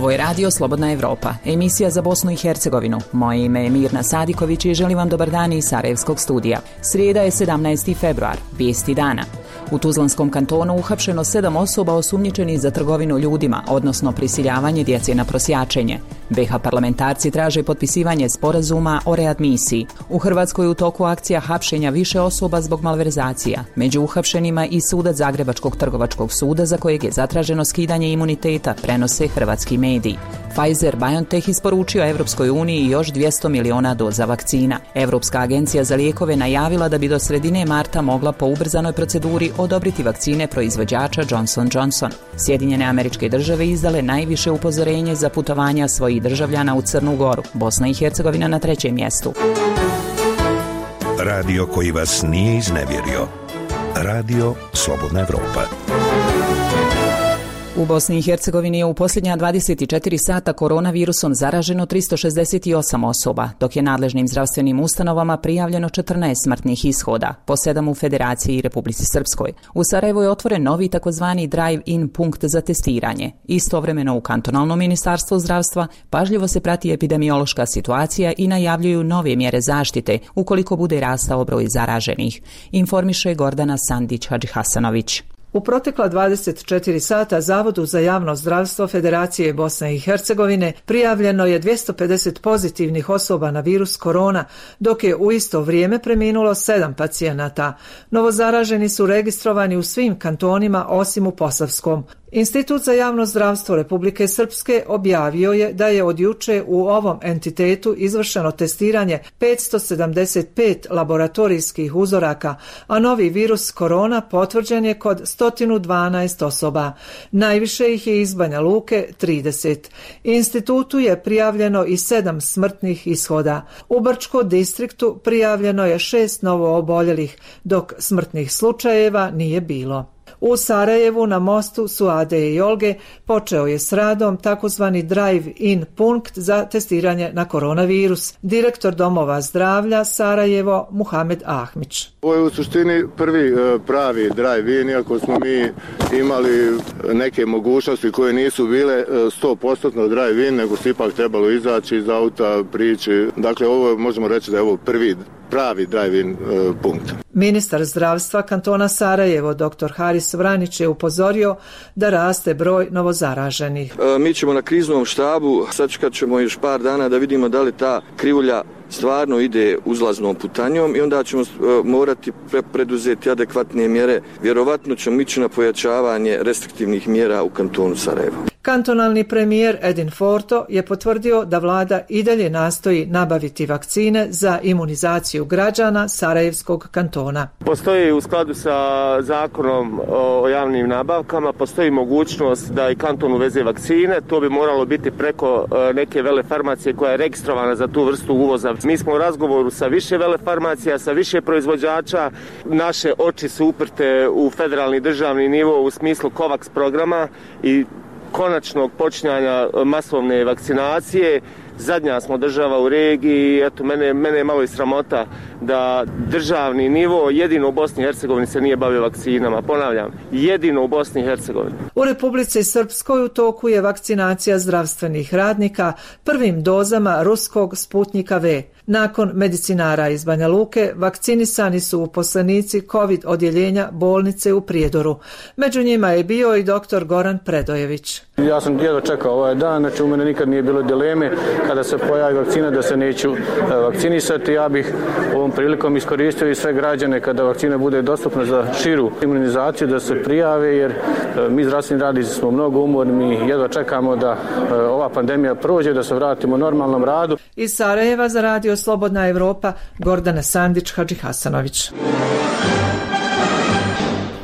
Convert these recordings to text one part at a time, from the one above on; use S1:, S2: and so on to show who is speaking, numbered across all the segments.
S1: Ovo je Radio Slobodna Evropa, emisija za Bosnu i Hercegovinu. Moje ime je Mirna Sadiković i želim vam dobar dan iz Sarajevskog studija. Srijeda je 17. februar, vijesti dana. U Tuzlanskom kantonu uhapšeno 7 osoba osumnjičenih za trgovinu ljudima, odnosno prisiljavanje djece na prosjačenje. BiH parlamentarci traže potpisivanje sporazuma o readmisiji. U Hrvatskoj je u toku akcija hapšenja više osoba zbog malverzacija. Među uhapšenima i sudac Zagrebačkog trgovačkog suda za kojeg je zatraženo skidanje imuniteta, prenose hrvatski mediji. Pfizer-BioNTech isporučio Evropskoj uniji još 200 miliona doza vakcina. Europska agencija za lijekove najavila da bi do sredine marta mogla po ubrzanoj proceduri odobriti vakcine proizvođača Johnson & Johnson. Sjedinjene Američke Države izdale najviše upozorenje za putovanja svojih državljana u Crnu Goru. Bosna i Hercegovina na 3. mjestu.
S2: Radio koji vas nije iznevjerio. Radio Slobodna Evropa.
S1: U Bosni i Hercegovini je u posljednja 24 sata koronavirusom zaraženo 368 osoba, dok je nadležnim zdravstvenim ustanovama prijavljeno 14 smrtnih ishoda, po 7 u Federaciji i Republici Srpskoj. U Sarajevu je otvoren novi takozvani drive-in punkt za testiranje. Istovremeno u kantonalnom ministarstvu zdravstva pažljivo se prati epidemiološka situacija i najavljuju nove mjere zaštite ukoliko bude rastao broj zaraženih, informiše Gordana Sandić-Hadžihasanović.
S3: U protekla 24 sata Zavodu za javno zdravstvo Federacije Bosne i Hercegovine prijavljeno je 250 pozitivnih osoba na virus korona, dok je u isto vrijeme preminulo 7 pacijenata. Novozaraženi su registrovani u svim kantonima osim u Posavskom. Institut za javno zdravstvo Republike Srpske objavio je da je od juče u ovom entitetu izvršeno testiranje 575 laboratorijskih uzoraka, a novi virus korona potvrđen je kod 112 osoba. Najviše ih je iz Banja Luke 30. Institutu je prijavljeno i 7 smrtnih ishoda. U Brčkom distriktu prijavljeno je 6 novooboljelih, dok smrtnih slučajeva nije bilo. U Sarajevu na mostu Suade i Olge počeo je s radom takozvani drive-in punkt za testiranje na koronavirus. Direktor domova zdravlja Sarajevo Muhamed Ahmić.
S4: Ovo je u suštini prvi pravi drive-in, iako smo mi imali neke mogućnosti koje nisu bile 100% drive-in, nego se ipak trebalo izaći iz auta, prići. Dakle, ovo možemo reći da je ovo prvi pravi drive-in punkt.
S3: Ministar zdravstva kantona Sarajevo, dr. Haris Vranić, je upozorio da raste broj novozaraženih.
S5: Mi ćemo na kriznom štabu, sačekat ćemo još par dana da vidimo da li ta krivulja stvarno ide uzlaznom putanjom i onda ćemo morati preduzeti adekvatne mjere. Vjerovatno ćemo ići na pojačavanje restriktivnih mjera u kantonu Sarajevo.
S3: Kantonalni premijer Edin Forto je potvrdio da vlada i dalje nastoji nabaviti vakcine za imunizaciju građana Sarajevskog kantona.
S6: Postoji u skladu sa zakonom o javnim nabavkama, postoji mogućnost da i kanton uveze vakcine. To bi moralo biti preko neke velefarmacije koja je registrovana za tu vrstu uvoza. Mi smo u razgovoru sa više velefarmacija, sa više proizvođača. Naše oči su uprte u federalni državni nivo u smislu COVAX programa i konačnog počinjanja masovne vakcinacije. Zadnja smo država u regiji, eto mene je malo i sramota da državni nivo jedino u Bosni i Hercegovini se nije bavio vakcinama. Ponavljam, jedino u Bosni i Hercegovini.
S3: U Republici Srpskoj u toku je vakcinacija zdravstvenih radnika prvim dozama ruskog Sputnjika V. Nakon medicinara iz Banja Luke vakcinisani su uposlenici COVID odjeljenja bolnice u Prijedoru. Među njima je bio i dr. Goran Predojević.
S7: Ja sam jedva čekao ovaj dan, znači u mene nikad nije bilo dileme kada se pojavi vakcina da se neću vakcinisati. Ja bih ovom prilikom iskoristio i sve građane kada vakcina bude dostupna za širu imunizaciju da se prijave, jer mi zdravstveni radnici smo mnogo umorni, mi jedva čekamo da ova pandemija prođe, da se vratimo normalnom radu.
S3: Iz Sarajeva za Radio Slobodna Evropa, Gordana Sandić-Hadžihasanović.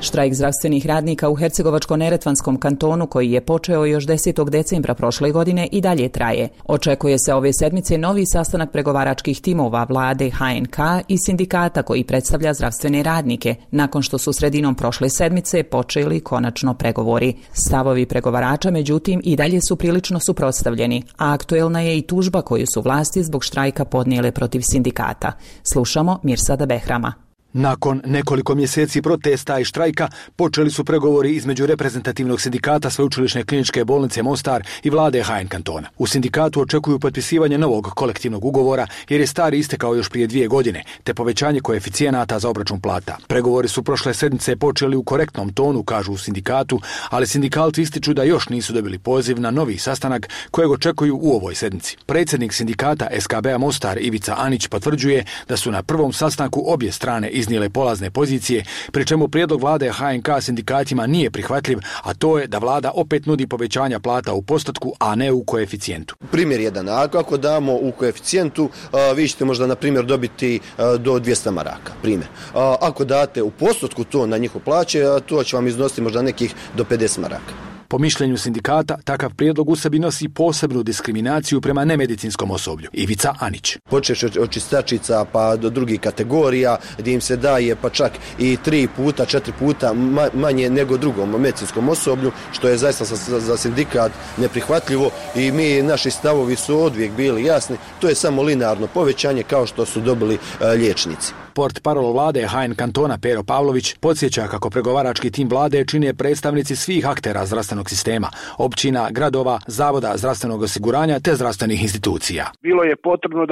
S1: Štrajk zdravstvenih radnika u Hercegovačko-neretvanskom kantonu, koji je počeo još 10. decembra prošle godine, i dalje traje. Očekuje se ove sedmice novi sastanak pregovaračkih timova vlade, HNK i sindikata koji predstavlja zdravstvene radnike, nakon što su sredinom prošle sedmice počeli konačno pregovori. Stavovi pregovarača, međutim, i dalje su prilično suprotstavljeni, a aktuelna je i tužba koju su vlasti zbog štrajka podnijele protiv sindikata. Slušamo Mirsada Behrama.
S8: Nakon nekoliko mjeseci protesta i štrajka počeli su pregovori između reprezentativnog sindikata Sveučilišne kliničke bolnice Mostar i vlade HN kantona. U sindikatu očekuju potpisivanje novog kolektivnog ugovora jer je stari istekao još prije 2 godine, te povećanje koeficijenata za obračun plata. Pregovori su prošle sedmice počeli u korektnom tonu, kažu u sindikatu, ali sindikalci ističu da još nisu dobili poziv na novi sastanak kojeg očekuju u ovoj sedmici. Predsjednik sindikata SKB-a Mostar Ivica Anić potvrđuje da su na prvom sastanku obje strane iznijele polazne pozicije, pri čemu prijedlog vlade HNK sindikatima nije prihvatljiv, a to je da vlada opet nudi povećanja plata u postotku, a ne u koeficijentu.
S9: Primjer jedan, ako damo u koeficijentu, vi ćete možda na primjer dobiti do 200 maraka, primjer. Ako date u postotku to na njihov plaće, to će vam iznositi možda nekih do 50 maraka.
S8: Po mišljenju sindikata, takav prijedlog u sebi nosi posebnu diskriminaciju prema nemedicinskom osoblju. Ivica Anić.
S9: Počeš od čistačica pa do drugih kategorija gdje im se daje pa čak i 3 puta, 4 puta manje nego drugom medicinskom osoblju, što je zaista za sindikat neprihvatljivo i naši stavovi su odvijek bili jasni. To je samo linearno povećanje kao što su dobili liječnici.
S8: Portparol vlade HN kantona Pero Pavlović podsjeća kako pregovarački tim vlade čine predstavnici svih aktera zdravstvenog sistema, općina, gradova, zavoda zdravstvenog osiguranja te zdravstvenih institucija.
S10: Bilo je potrebno,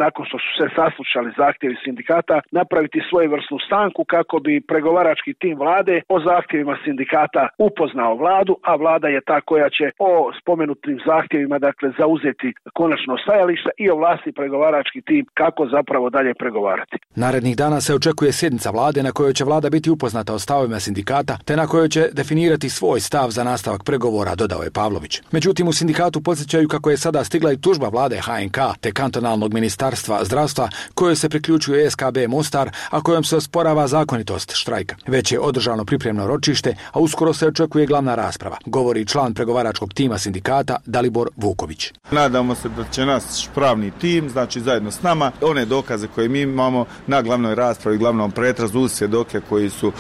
S10: nakon što su se saslušali zahtjevi sindikata, napraviti svojevrsnu stanku kako bi pregovarački tim vlade o zahtjevima sindikata upoznao vladu, a vlada je ta koja će o spomenutim zahtjevima zauzeti konačno stajalište i ovlasti pregovarački tim kako zapravo dalje pregovarati.
S8: Narednih dana se očekuje sjednica vlade na kojoj će vlada biti upoznata o stavovima sindikata, te na kojoj će definirati svoj stav za nastavak pregovora, dodao je Pavlović. Međutim, u sindikatu podsjećaju kako je sada stigla i tužba vlade HNK te kantonalnog ministarstva zdravstva kojoj se priključuje SKB Mostar, a kojom se osporava zakonitost štrajka. Već je održano pripremno ročište, a uskoro se očekuje glavna rasprava, govori član pregovaračkog tima sindikata Dalibor Vuković.
S11: Nadamo se da će naš pravni tim, zajedno s nama, one dokaze koje mi imamo na glavnoj raspravi, glavnom pretrazu uz svjedoke koji su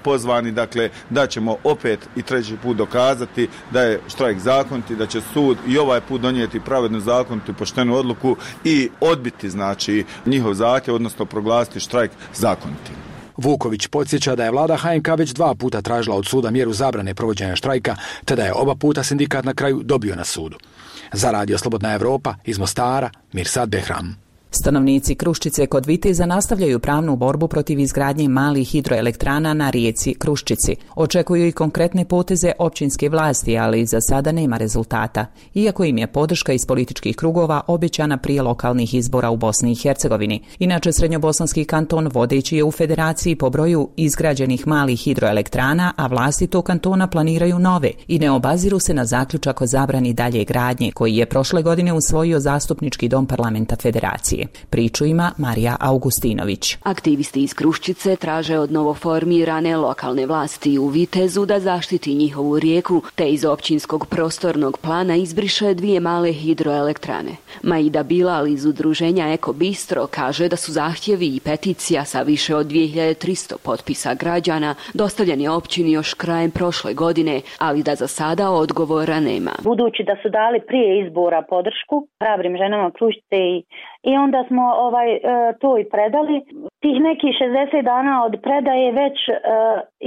S11: pozvani, da ćemo opet i treći put dokazati da je štrajk zakonit i da će sud i ovaj put donijeti pravednu, zakonitu i poštenu odluku i odbiti njihov zahtjev, odnosno proglasiti štrajk zakonitim.
S8: Vuković podsjeća da je vlada HNK već 2 puta tražila od suda mjeru zabrane provođenja štrajka, te da je oba puta sindikat na kraju dobio na sudu. Za Radio Slobodna Evropa iz Mostara, Mirsad Behram.
S1: Stanovnici Kruščice kod Viteza nastavljaju pravnu borbu protiv izgradnje malih hidroelektrana na rijeci Kruščici. Očekuju i konkretne poteze općinske vlasti, ali za sada nema rezultata, iako im je podrška iz političkih krugova obećana prije lokalnih izbora u Bosni i Hercegovini. Inače, Srednjobosanski kanton vodeći je u federaciji po broju izgrađenih malih hidroelektrana, a vlasti tog kantona planiraju nove i ne obaziru se na zaključak o zabrani dalje gradnje, koji je prošle godine usvojio Zastupnički dom parlamenta federacije. Priču ima Marija Augustinović.
S12: Aktivisti iz Kruščice traže od novoformirane lokalne vlasti u Vitezu da zaštiti njihovu rijeku, te iz općinskog prostornog plana izbriše 2 male hidroelektrane. Maida Bilal iz udruženja Eko Bistro kaže da su zahtjevi i peticija sa više od 2300 potpisa građana dostavljeni općini još krajem prošle godine, ali da za sada odgovora nema.
S13: Budući da su dali prije izbora podršku hrabrim ženama Kruščice i onda smo to i predali. Tih nekih 60 dana od predaje već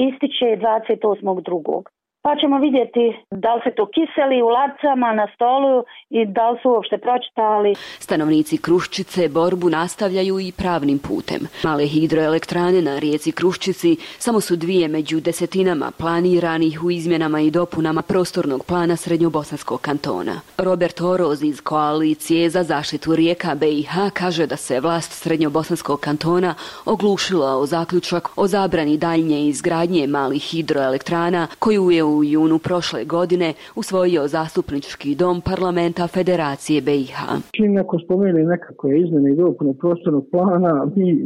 S13: ističe 28.2. Pa ćemo vidjeti da li se to kiseli u lacama na stolu i da li su uopšte pročitali.
S12: Stanovnici Kruščice borbu nastavljaju i pravnim putem. Male hidroelektrane na rijeci Kruščici samo su 2 među desetinama planiranih u izmjenama i dopunama prostornog plana Srednjobosanskog kantona. Robert Oroz iz Koalicije za zaštitu rijeka BiH kaže da se vlast Srednjobosanskog kantona oglušila o zaključak o zabrani daljnje izgradnje malih hidroelektrana koju je u junu prošle godine usvojio Zastupnički dom parlamenta Federacije BiH.
S14: Čim neko spomene nekakve izmjene i dopune prostornog plana,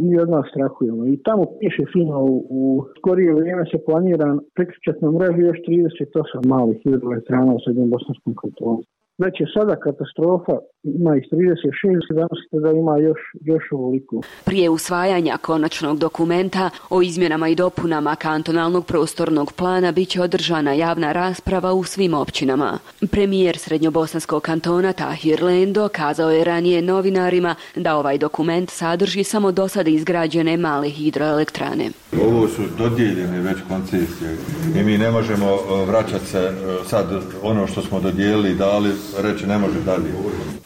S14: mi od nas strahujemo. I tamo piše fino u skorije vrijeme se planira priključati na mrežu još 38 malih hidroelektrana u Srednjobosanskom kantonu. Već je sada katastrofa ima ih 36, danas da ima još ovoliko.
S12: Prije usvajanja konačnog dokumenta o izmjenama i dopunama kantonalnog prostornog plana bit će održana javna rasprava u svim općinama. Premijer Srednjobosanskog kantona Tahir Lendo kazao je ranije novinarima da ovaj dokument sadrži samo do sada izgrađene male hidroelektrane.
S15: Ovo su dodijeljene već koncesije i mi ne možemo vraćati se sad ono što smo dodijelili, dali, reći ne može dalje.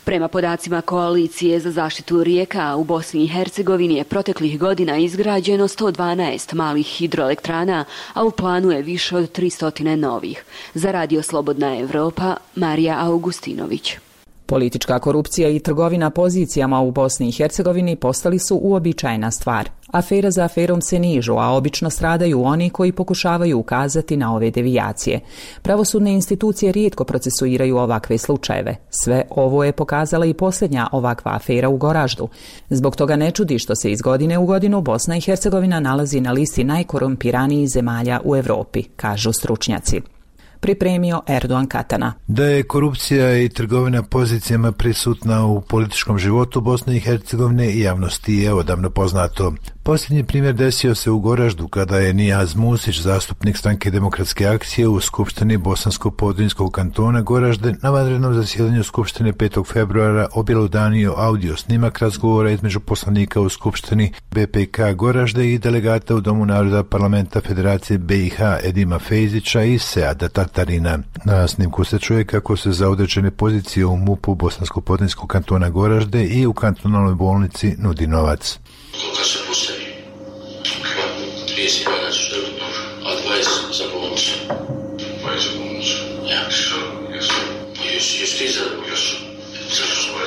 S12: Prema podacima Koalicije za zaštitu rijeka u Bosni i Hercegovini je proteklih godina izgrađeno 112 malih hidroelektrana, a u planu je više od 300 novih. Za Radio Slobodna Evropa, Marija Augustinović.
S1: Politička korupcija i trgovina pozicijama u Bosni i Hercegovini postali su uobičajena stvar. Afera za aferom se nižu, a obično stradaju oni koji pokušavaju ukazati na ove devijacije. Pravosudne institucije rijetko procesuiraju ovakve slučajeve. Sve ovo je pokazala i posljednja ovakva afera u Goraždu. Zbog toga ne čudi što se iz godine u godinu Bosna i Hercegovina nalazi na listi najkorumpiranijih zemalja u Europi, kažu stručnjaci. Pripremio Erdogan Katana.
S16: Da je korupcija i trgovina pozicijama prisutna u političkom životu Bosne i Hercegovine i javnosti je odavno poznato. Posljednji primjer desio se u Goraždu kada je Nijaz Musić, zastupnik Stranke demokratske akcije u Skupštini Bosansko-Podrinjskog kantona Goražde, na vanrednom zasjedanju Skupštine 5. februara objelodanio audio snimak razgovora između poslanika u Skupštini BPK Goražde i delegata u Domu naroda Parlamenta Federacije BiH Edima Fejzića i Seada Tatarina. Na snimku se čuje kako se za određene pozicije u MUP-u Bosansko-Podrinjskog kantona Goražde i u kantonalnoj bolnici nudi novac.
S17: Koliko se postavi? 30 dana ćeš dobiti nož, a 20 za bolnicu. 20 za bolnicu? Ja. Što? Jesu? Jesu ti zadovoljni? Jesu. Zašto smo je?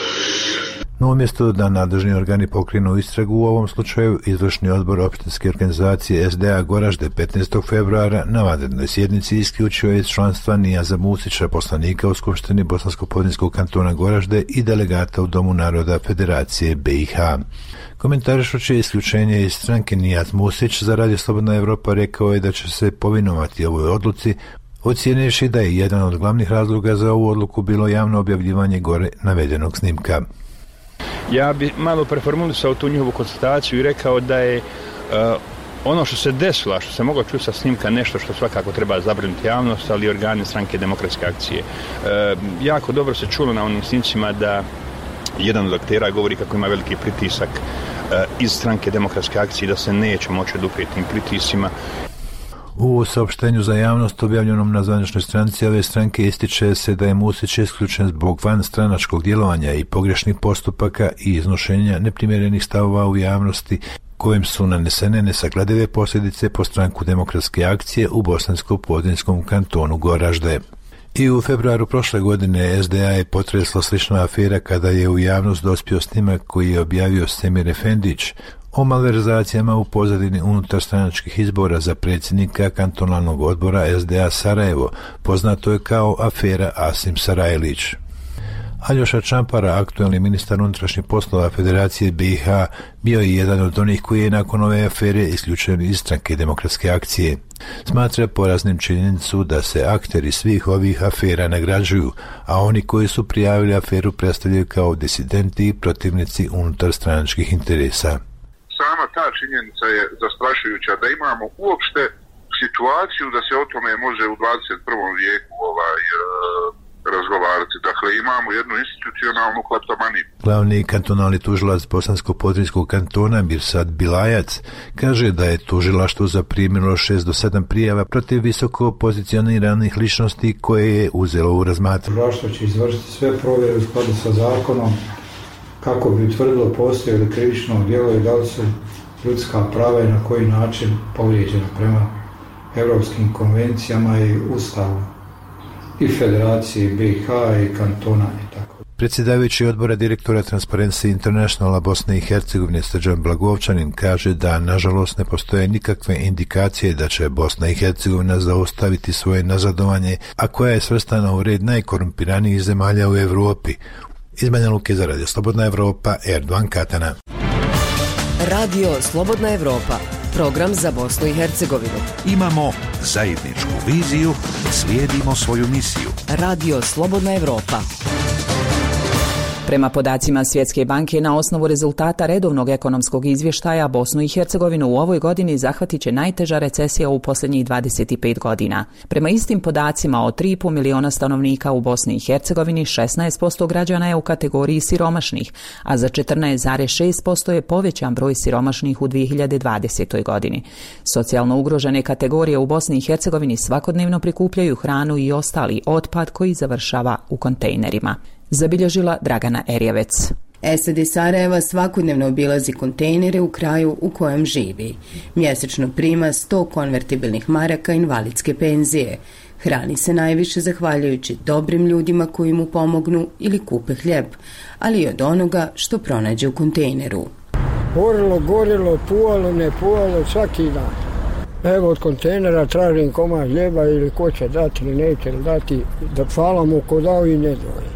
S16: No umjesto da nadležni organi pokrenu istragu u ovom slučaju, izvršni odbor opštinske organizacije SDA Goražde 15. februara na vanrednoj sjednici isključio iz članstva Nijaza Musića, poslanika u Skupštini Bosansko-Podrinjskog kantona Goražde i delegata u Domu naroda Federacije BiH. Komentarišući isključenje iz stranke, Nijaz Musić za Radio Slobodna Evropa rekao je da će se povinovati ovoj odluci, ocijenivši da je jedan od glavnih razloga za ovu odluku bilo javno objavljivanje gore navedenog snimka.
S18: Ja bi malo preformulisao tu njihovu konstataciju i rekao da je ono što se desilo, što se moglo čuti sa snimka, nešto što svakako treba zabrinuti javnost, ali i organi Stranke demokratske akcije. Jako dobro se čulo na onim snimcima da jedan od aktera govori kako ima veliki pritisak iz Stranke demokratske akcije, da se neće moći oduprijeti tim pritiscima.
S16: U saopštenju za javnost objavljenom na zvaničnoj stranici ove stranke ističe se da je Musić isključen zbog vanstranačkog djelovanja i pogrešnih postupaka i iznošenja neprimjerenih stavova u javnosti, kojim su nanesene nesagledive posljedice po Stranku demokratske akcije u Bosansko-Podrinjskom kantonu Goražde. I u februaru prošle godine SDA je potresla slična afera kada je u javnost dospio snimak koji je objavio Semir Efendić o malverzacijama u pozadini unutarstranačkih izbora za predsjednika kantonalnog odbora SDA Sarajevo, poznato je kao afera Asim Sarajlić. Aljoša Čampara, aktuelni ministar unutrašnjih poslova Federacije BiH, bio je jedan od onih koji je nakon ove afere isključen iz Stranke demokratske akcije. Smatra poraznim činjenicu da se akteri svih ovih afera nagrađuju, a oni koji su prijavili aferu predstavljaju kao disidenti i protivnici unutarstranačkih interesa.
S19: Sama ta činjenica je zastrašujuća da imamo uopšte situaciju da se o tome može u 21. vijeku razgovarati. Dakle, imamo jednu institucionalnu kleptomaniju.
S16: Glavni kantonalni tužilac Bosansko-Podrinjskog kantona Mirsad Bilajac kaže da je tužilaštvo zaprimilo 6 do 7 prijava protiv visoko pozicioniranih ličnosti koje je uzelo u razmatranje.
S20: Tužilaštvo će izvršiti sve provjere u skladu sa zakonom kako bi utvrdilo postoje li krivično djelo i da li su ljudska prava i na koji način povrijeđena prema europskim konvencijama i ustavu i Federacije BiH i kantona i tako.
S16: Predsjedavajući odbora direktora Transparency Internationala Bosne i Hercegovine Srđan Blagovčanin kaže da nažalost ne postoje nikakve indikacije da će Bosna i Hercegovina zaustaviti svoje nazadovanje, a koja je svrstana u red najkorumpiranijih zemalja u Europi. Iz Banja Luke za Radio Slobodna Evropa, Erdogan Katana.
S21: Radio Slobodna Evropa, program za Bosnu i Hercegovinu.
S2: Imamo zajedničku viziju, slijedimo svoju misiju.
S21: Radio Slobodna Evropa.
S1: Prema podacima Svjetske banke, na osnovu rezultata redovnog ekonomskog izvještaja, Bosnu i Hercegovinu u ovoj godini zahvatit će najteža recesija u posljednjih 25 godina. Prema istim podacima, od 3,5 miliona stanovnika u Bosni i Hercegovini, 16% građana je u kategoriji siromašnih, a za 14,6% je povećan broj siromašnih u 2020. godini. Socijalno ugrožene kategorije u Bosni i Hercegovini svakodnevno prikupljaju hranu i ostali otpad koji završava u kontejnerima. Zabilježila Dragana Erjevec.
S4: SAD Sarajeva svakodnevno obilazi kontejnere u kraju u kojem živi. Mjesečno prima 100 konvertibilnih maraka invalidske penzije. Hrani se najviše zahvaljujući dobrim ljudima koji mu pomognu ili kupe hljeb, ali i od onoga što pronađe u kontejneru.
S22: Gorilo, puvalo, ne puvalo, svaki dan. Evo od kontejnera tražim komad hljeba ili ko će dati ili neće dati, da hvala mu ko dao i ne doje.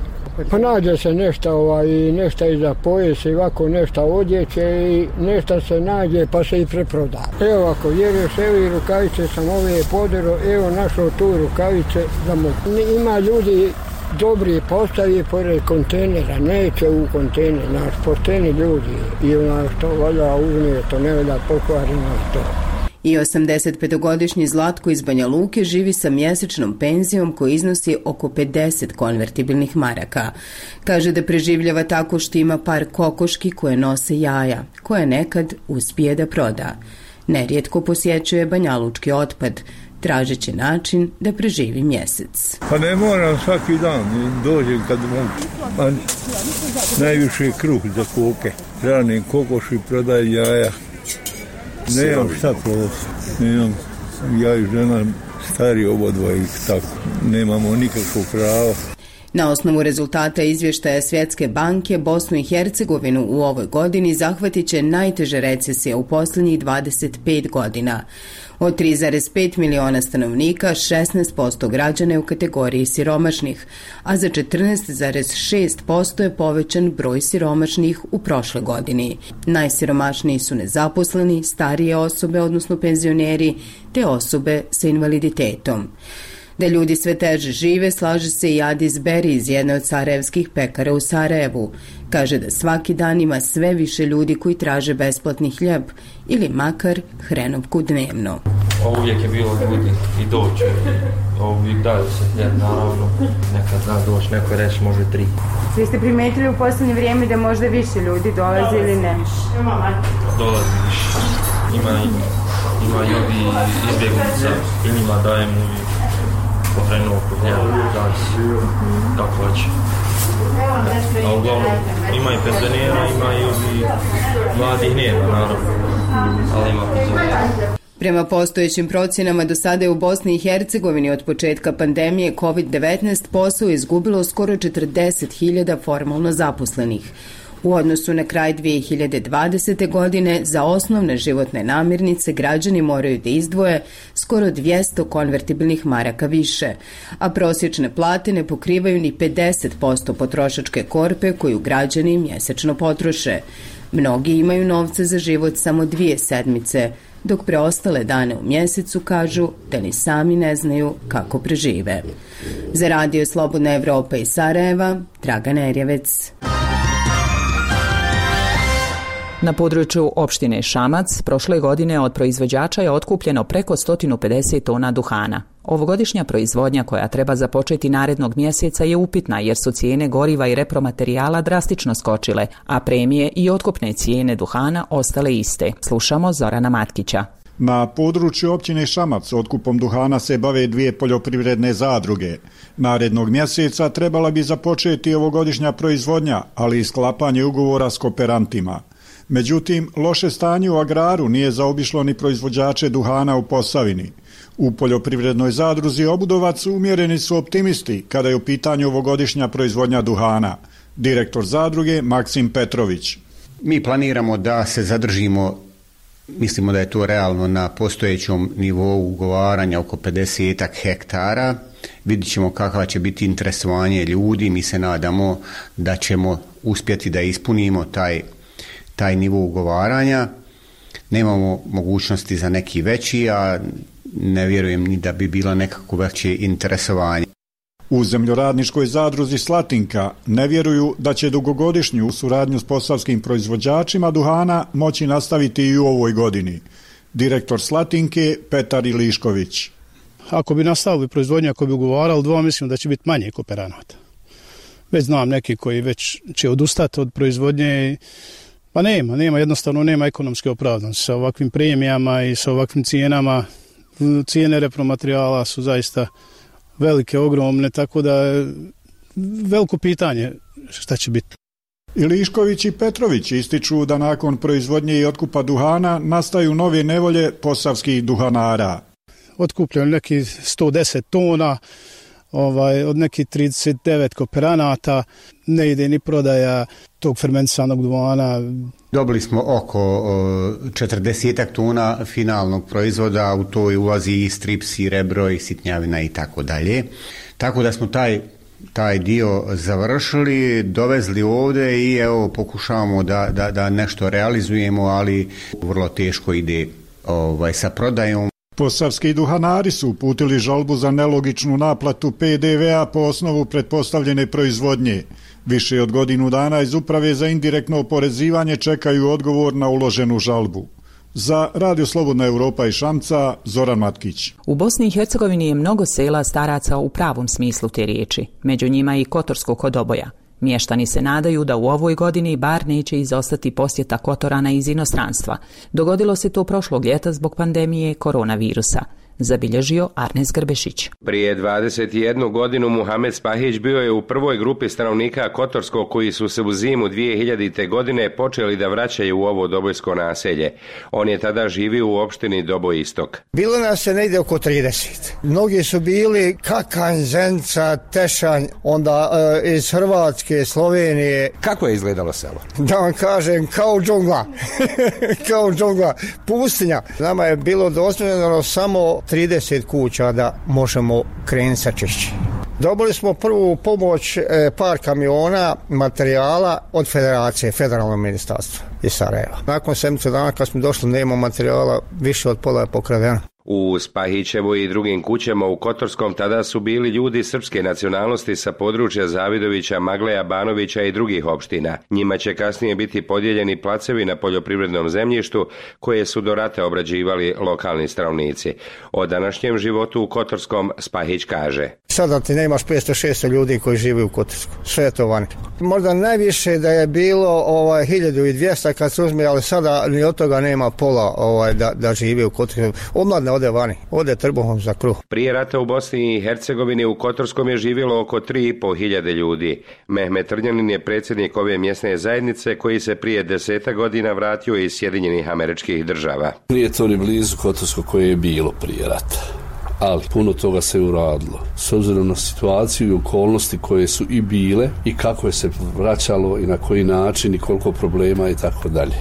S22: Pa nađe se nešto iza pojesa i ovako nešto odjeće i nešto se nađe pa se i preproda. Evo ako vjeruješ, evo i rukavice sam ove podero, evo našao tu rukavice za mogu. Ima ljudi dobri postavi pored kontejnera, neće u kontejner, naš pošteni ljudi i ono što valja uzme, to ne valja pokvareno to.
S4: I 85-godišnji Zlatko iz Banja Luke živi sa mjesečnom penzijom koja iznosi oko 50 konvertibilnih maraka. Kaže da preživljava tako što ima par kokoški koje nose jaja, koje nekad uspije da proda. Nerijetko posjećuje banjalučki otpad, tražeći način da preživi mjesec.
S23: Pa ne moram svaki dan, dođem kad mogu. Pa najviše je kruh za koke. Hranim kokoši, prodajem jaja. Nemam šta prodati, nemam, ja i žena stari obodva i tako, nemamo nikakvog prava.
S4: Na osnovu rezultata izvještaja Svjetske banke, Bosnu i Hercegovinu u ovoj godini zahvatit će najteže recesija u posljednjih 25 godina. Od 3,5 miliona stanovnika, 16% građana je u kategoriji siromašnih, a za 14,6% je povećan broj siromašnih u prošloj godini. Najsiromašniji su nezaposleni, starije osobe, odnosno penzioneri, te osobe sa invaliditetom. Da ljudi sve teže žive, slaže se i Adis Beri iz jedne od sarajevskih pekara u Sarajevu. Kaže da svaki dan ima sve više ljudi koji traže besplatni hljeb ili makar hrenovku dnevno.
S24: Uvijek je bilo ljudi i doće, uvijek daju se hljeb, naravno, nekad da doći, neko reći može 3.
S25: Vi ste primetili u posljednje vrijeme da možda više ljudi dolazi ili ne?
S24: Dolazi više, ima ljudi izbjegnica i njima dajemo uvijek hrenovku hljeba, tako hoće. A uglavnom ima i penzionera, ima i ovi mladih nema, naravno, ali ima penzionera.
S4: Prema postojećim procjenama, do sada je u Bosni i Hercegovini od početka pandemije COVID-19 posao izgubilo skoro 40.000 formalno zaposlenih. U odnosu na kraj 2020. godine za osnovne životne namirnice građani moraju da izdvoje skoro 200 konvertibilnih maraka više, a prosječne plate ne pokrivaju ni 50% potrošačke korpe koju građani mjesečno potroše. Mnogi imaju novce za život samo 2 sedmice, dok preostale dane u mjesecu kažu da ni sami ne znaju kako prežive. Za Radio Slobodna Evropa iz Sarajeva, Dragana Erjevec.
S1: Na području opštine Šamac prošle godine od proizvođača je otkupljeno preko 150 tona duhana. Ovogodišnja proizvodnja koja treba započeti narednog mjeseca je upitna jer su cijene goriva i repromaterijala drastično skočile, a premije i otkupne cijene duhana ostale iste. Slušamo Zorana Matkića.
S26: Na području općine Šamac otkupom duhana se bave 2 poljoprivredne zadruge. Narednog mjeseca trebala bi započeti ovogodišnja proizvodnja, ali i sklapanje ugovora s kooperantima. Međutim, loše stanje u agraru nije zaobišlo ni proizvođače duhana u Posavini. U poljoprivrednoj zadruzi Obudovac umjereni su optimisti kada je u pitanju ovogodišnja proizvodnja duhana. Direktor zadruge Maksim Petrović.
S27: Mi planiramo da se zadržimo, mislimo da je to realno na postojećom nivou ugovaranja oko 50 hektara. Vidjet ćemo kakva će biti interesovanje ljudi. Mi se nadamo da ćemo uspjeti da ispunimo taj nivo ugovaranja. Nemamo mogućnosti za neki veći, a ne vjerujem ni da bi bilo nekako veće interesovanje.
S26: U zemljoradničkoj zadruzi Slatinka ne vjeruju da će dugogodišnju suradnju s posavskim proizvođačima duhana moći nastaviti i u ovoj godini. Direktor Slatinke Petar Ilišković.
S3: Ako bi nastavili proizvodnju, ako bi ugovarali mislim da će biti manje kooperanata. Već znam neki koji već će odustati od proizvodnje, pa jednostavno nema ekonomske opravdanosti. Sa ovakvim premijama i sa ovakvim cijenama, cijene repromaterijala su zaista velike, ogromne, tako da je veliko pitanje šta će biti.
S26: Ilišković i Petrović ističu da nakon proizvodnje i otkupa duhana nastaju nove nevolje posavskih duhanara.
S3: Otkupljeno neki 110 tona, od nekih 39 kooperanata, ne ide ni prodaja tog fermentisanog duhana.
S27: Dobili smo oko 40 tona finalnog proizvoda, u to ulazi i strips, i rebro, i sitnjavina i tako dalje. Tako da smo taj dio završili, dovezli ovdje i evo pokušavamo da nešto realizujemo, ali vrlo teško ide sa prodajom.
S26: Posavski duhanari su uputili žalbu za nelogičnu naplatu PDV-a po osnovu pretpostavljene proizvodnje. Više od godinu dana iz Uprave za indirektno oporezivanje čekaju odgovor na uloženu žalbu. Za Radio Slobodna Europa i Šamca, Zoran Matkić.
S1: U Bosni i Hercegovini je mnogo sela staraca u pravom smislu te riječi, među njima i Kotorsko kod Oboja. Mještani se nadaju da u ovoj godini bar neće izostati posjeta Kotorana iz inostranstva. Dogodilo se to prošlog ljeta zbog pandemije koronavirusa. Zabilježio Arnes Grbešić.
S5: Prije 21 godinu Muhamed Spahić bio je u prvoj grupi stanovnika Kotorskog koji su se u zimu 2000. godine počeli da vraćaju u ovo dobojsko naselje. On je tada živio u opštini Doboj Istok.
S22: Bilo nas se negdje oko 30. Mnogi su bili Kakanj, Zenica, Tešanj, onda iz Hrvatske, Slovenije.
S6: Kako je izgledalo selo?
S22: Da vam kažem, kao džungla. Kao džungla. Pustinja. Nama je bilo dozvoljeno samo 30 kuća da možemo krenuti sa čišćenjem. Dobili smo prvu pomoć par kamiona materijala od Federacije, Federalnog ministarstva iz Sarajeva. Nakon 7 dana kad smo došli nema materijala, više od pola je pokradeno.
S5: U Spahićevoj i drugim kućama u Kotorskom tada su bili ljudi srpske nacionalnosti sa područja Zavidovića, Magleja, Banovića i drugih opština. Njima će kasnije biti podijeljeni placevi na poljoprivrednom zemljištu koje su do rata obrađivali lokalni stanovnici. O današnjem životu u Kotorskom Spahić kaže:
S22: Sada ti nemaš 500-600 ljudi koji žive u Kotorsku. Sve je to vani. Možda najviše da je bilo 1200 kad se uzme, ali sada ni od toga nema pola da žive u Kotorsku. Omladne ode vani, ode trbuhom za kruh.
S5: Prije rata u Bosni i Hercegovini u Kotorskom je živjelo oko 3.500 ljudi. Mehmet Trnjanin je predsjednik ove mjesne zajednice koji se prije 10 godina vratio iz Sjedinjenih Američkih Država.
S7: Nije to ni blizu Kotorsko koje je bilo prije rata, ali puno toga se uradilo. S obzirom na situaciju i okolnosti koje su i bile i kako je se vraćalo i na koji način i koliko problema i tako dalje.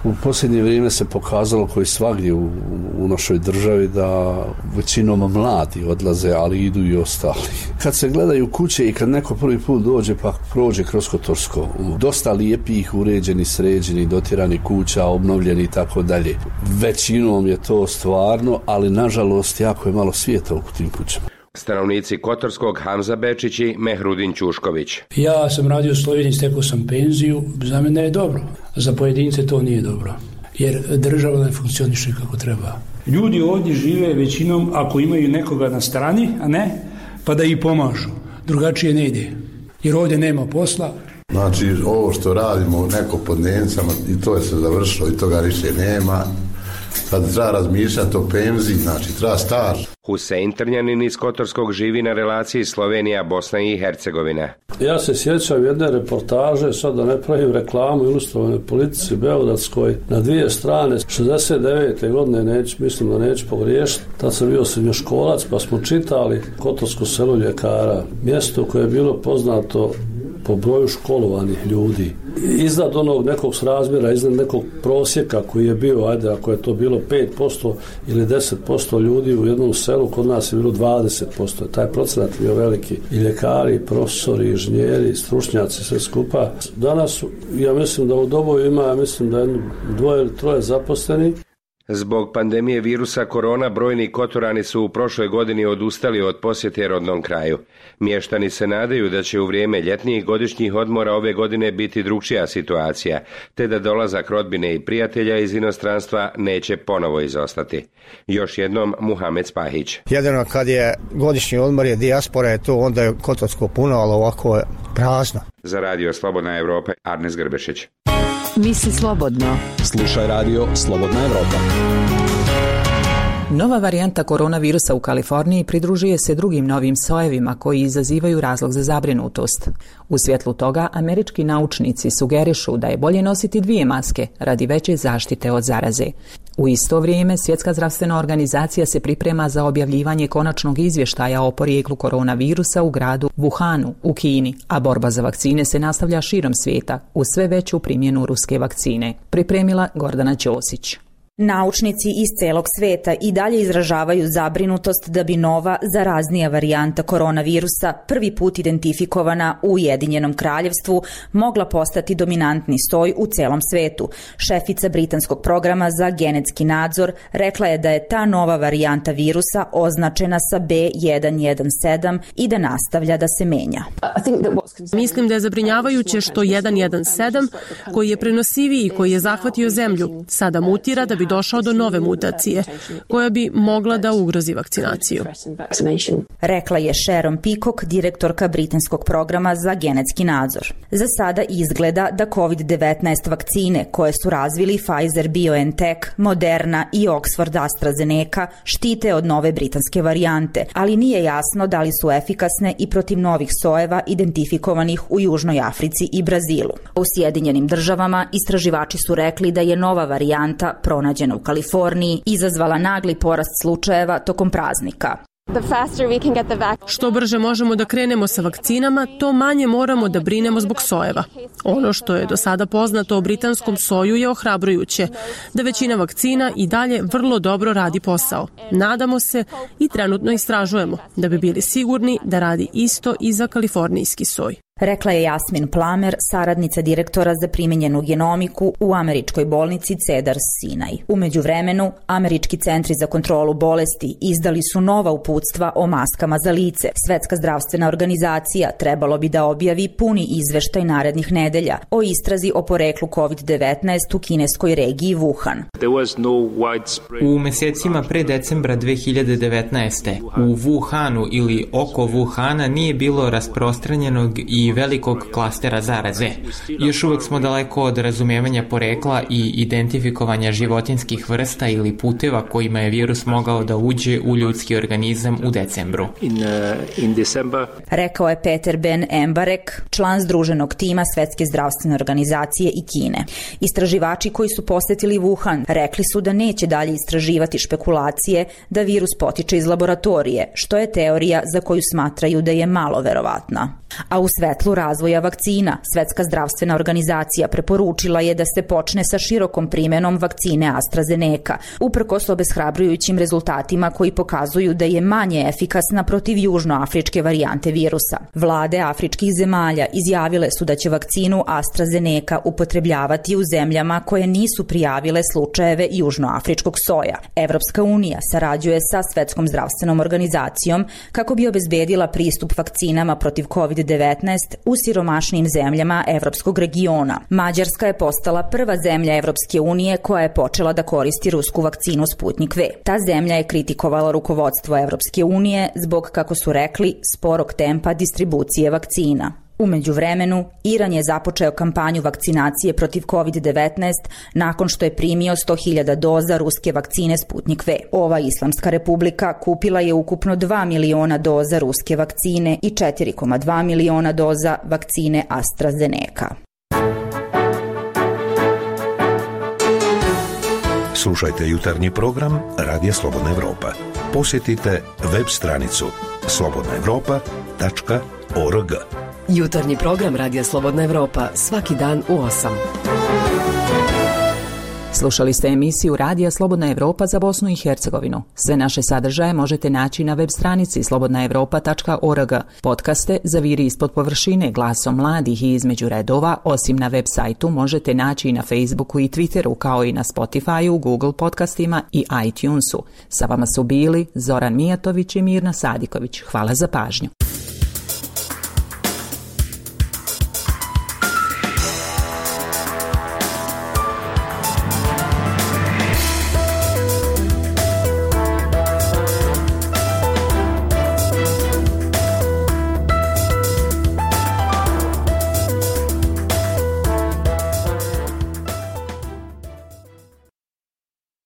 S7: U posljednje vrijeme se pokazalo koji svagdje u našoj državi da većinom mladi odlaze, ali idu i ostali. Kad se gledaju kuće i kad neko prvi put dođe pa prođe kroz Kotorsko, dosta lijepih, uređenih, sređenih, dotiranih kuća, obnovljeni i tako dalje. Većinom je to stvarno, ali nažalost jako je malo svijeta u tim kućama.
S5: Stanovnici Kotorskog Hamza Bečić i Mehrudin Ćušković.
S9: Ja sam radio u Sloveniji, stekao sam penziju, za mene je dobro. Za pojedince to nije dobro, jer država ne funkcioniše kako treba. Ljudi ovdje žive većinom ako imaju nekoga na strani, a ne, pa da ih pomažu. Drugačije ne ide, jer ovdje nema posla.
S10: Znači, ovo što radimo neko pod dnevnicama i to je se završilo i toga više nema. Sad treba razmišljati o penziji, znači treba staž.
S5: Husein Trnjanin iz Kotorskog živi na relaciji Slovenija, Bosna i Hercegovina.
S7: Ja se sjećam jedne reportaže, sad da ne pravim reklamu ilustrovane politici beogradskoj, na 2 strane, 69. godine, mislim da neću pogriješiti, tad sam bio srednjoškolac, pa smo čitali Kotorsko selo ljekara, mjesto koje je bilo poznato po broju školovanih ljudi. Iznad onog nekog srazmjera, iznad nekog prosjeka koji je bio, ajde, ako je to bilo 5% ili 10% ljudi u jednom selu, kod nas je bilo 20%. Taj procenat je bio veliki. I ljekari, i profesori, i inženjeri, i stručnjaci, sve skupa. Danas, ja mislim da u Doboju ima, mislim da 2 ili 3 zaposleni.
S5: Zbog pandemije virusa korona brojni Kotorani su u prošloj godini odustali od posjete rodnom kraju. Mještani se nadaju da će u vrijeme ljetnijih godišnjih odmora ove godine biti drukčija situacija, te da dolazak rodbine i prijatelja iz inostranstva neće ponovo izostati. Još jednom Muhamed Spahić.
S6: Jedino kad je godišnji odmor je dijaspora je to, onda je Kotorsko puno, ali ovako je prazno.
S5: Za Radio Slobodna Evropa, Arnes Grbešić.
S21: Misli slobodno.
S8: Slušaj Radio Slobodna Evropa.
S1: Nova varijanta koronavirusa u Kaliforniji pridružuje se drugim novim sojevima koji izazivaju razlog za zabrinutost. U svjetlu toga, američki naučnici sugerišu da je bolje nositi 2 maske radi veće zaštite od zaraze. U isto vrijeme, Svjetska zdravstvena organizacija se priprema za objavljivanje konačnog izvještaja o porijeklu koronavirusa u gradu Wuhanu u Kini, a borba za vakcine se nastavlja širom svijeta uz sve veću primjenu ruske vakcine. Pripremila Gordana Ćosić.
S11: Naučnici iz celog sveta i dalje izražavaju zabrinutost da bi nova, zaraznija varijanta koronavirusa, prvi put identifikovana u Ujedinjenom kraljevstvu, mogla postati dominantni soj u celom svetu. Šefica britanskog programa za genetski nadzor rekla je da je ta nova varijanta virusa označena sa B117 i da nastavlja da se menja.
S12: Mislim da je zabrinjavajuće što 117, koji je prenosiviji i koji je zahvatio zemlju, sada mutira da bi došao do nove mutacije, koja bi mogla da ugrozi vakcinaciju.
S11: Rekla je Sharon Peacock, direktorka britanskog programa za genetski nadzor. Za sada izgleda da COVID-19 vakcine koje su razvili Pfizer BioNTech, Moderna i Oxford AstraZeneca štite od nove britanske varijante, ali nije jasno da li su efikasne i protiv novih sojeva identifikovanih u Južnoj Africi i Brazilu. U Sjedinjenim državama istraživači su rekli da je nova varijanta pronađena u Kaliforniji izazvala nagli porast slučajeva tokom praznika.
S12: Što brže možemo da krenemo sa vakcinama, to manje moramo da brinemo zbog sojeva. Ono što je do sada poznato o britanskom soju je ohrabrujuće, da većina vakcina i dalje vrlo dobro radi posao. Nadamo se i trenutno istražujemo da bi bili sigurni da radi isto i za kalifornijski soj.
S11: Rekla je Jasmin Plamer, saradnica direktora za primijenjenu genomiku u američkoj bolnici Cedars-Sinai. U međuvremenu, američki centri za kontrolu bolesti izdali su nova uputstva o maskama za lice. Svetska zdravstvena organizacija trebalo bi da objavi puni izveštaj narednih nedelja o istrazi o poreklu COVID-19 u kineskoj regiji Wuhan.
S13: U mjesecima pre decembra 2019. u Wuhanu ili oko Wuhana nije bilo rasprostranjenog i velikog klastera zaraze. Još uvijek smo daleko od razumijevanja porekla i identifikovanja životinskih vrsta ili puteva kojima je virus mogao da uđe u ljudski organizam u decembru.
S11: Rekao je Peter Ben Embarek, član združenog tima Svetske zdravstvene organizacije i Kine. Istraživači koji su posjetili Wuhan rekli su da neće dalje istraživati špekulacije da virus potiče iz laboratorije, što je teorija za koju smatraju da je malo verovatna. A u svetlu razvoja vakcina, Svetska zdravstvena organizacija preporučila je da se počne sa širokom primjenom vakcine AstraZeneca, uprkos obeshrabrujućim rezultatima koji pokazuju da je manje efikasna protiv južnoafričke varijante virusa. Vlade afričkih zemalja izjavile su da će vakcinu AstraZeneca upotrebljavati u zemljama koje nisu prijavile slučajeve južnoafričkog soja. Evropska unija sarađuje sa Svetskom zdravstvenom organizacijom kako bi obezbedila pristup vakcinama protiv COVID-19 u siromašnijim zemljama evropskog regiona. Mađarska je postala prva zemlja Evropske unije koja je počela da koristi rusku vakcinu Sputnik V. Ta zemlja je kritikovala rukovodstvo Evropske unije zbog, kako su rekli, sporog tempa distribucije vakcina. U međuvremenu, Iran je započeo kampanju vakcinacije protiv COVID-19 nakon što je primio 100.000 doza ruske vakcine Sputnik V. Ova Islamska republika kupila je ukupno 2 miliona doza ruske vakcine i 4,2 miliona doza vakcine AstraZeneca.
S2: Slušajte jutarnji program Radija Slobodna Evropa. Posjetite web stranicu slobodnaevropa.org.
S21: Jutarnji program Radija Slobodna Evropa svaki dan u 8.
S1: Slušali ste emisiju Radija Slobodna Evropa za Bosnu i Hercegovinu. Sve naše sadržaje možete naći na web stranici slobodnaevropa.org. Podcaste Zaviri ispod površine, Glasom mladih i Između redova, osim na web sajtu, možete naći i na Facebooku i Twitteru, kao i na Spotifyu, Google podcastima i iTunesu. Sa vama su bili Zoran Mijatović i Mirna Sadiković. Hvala za pažnju.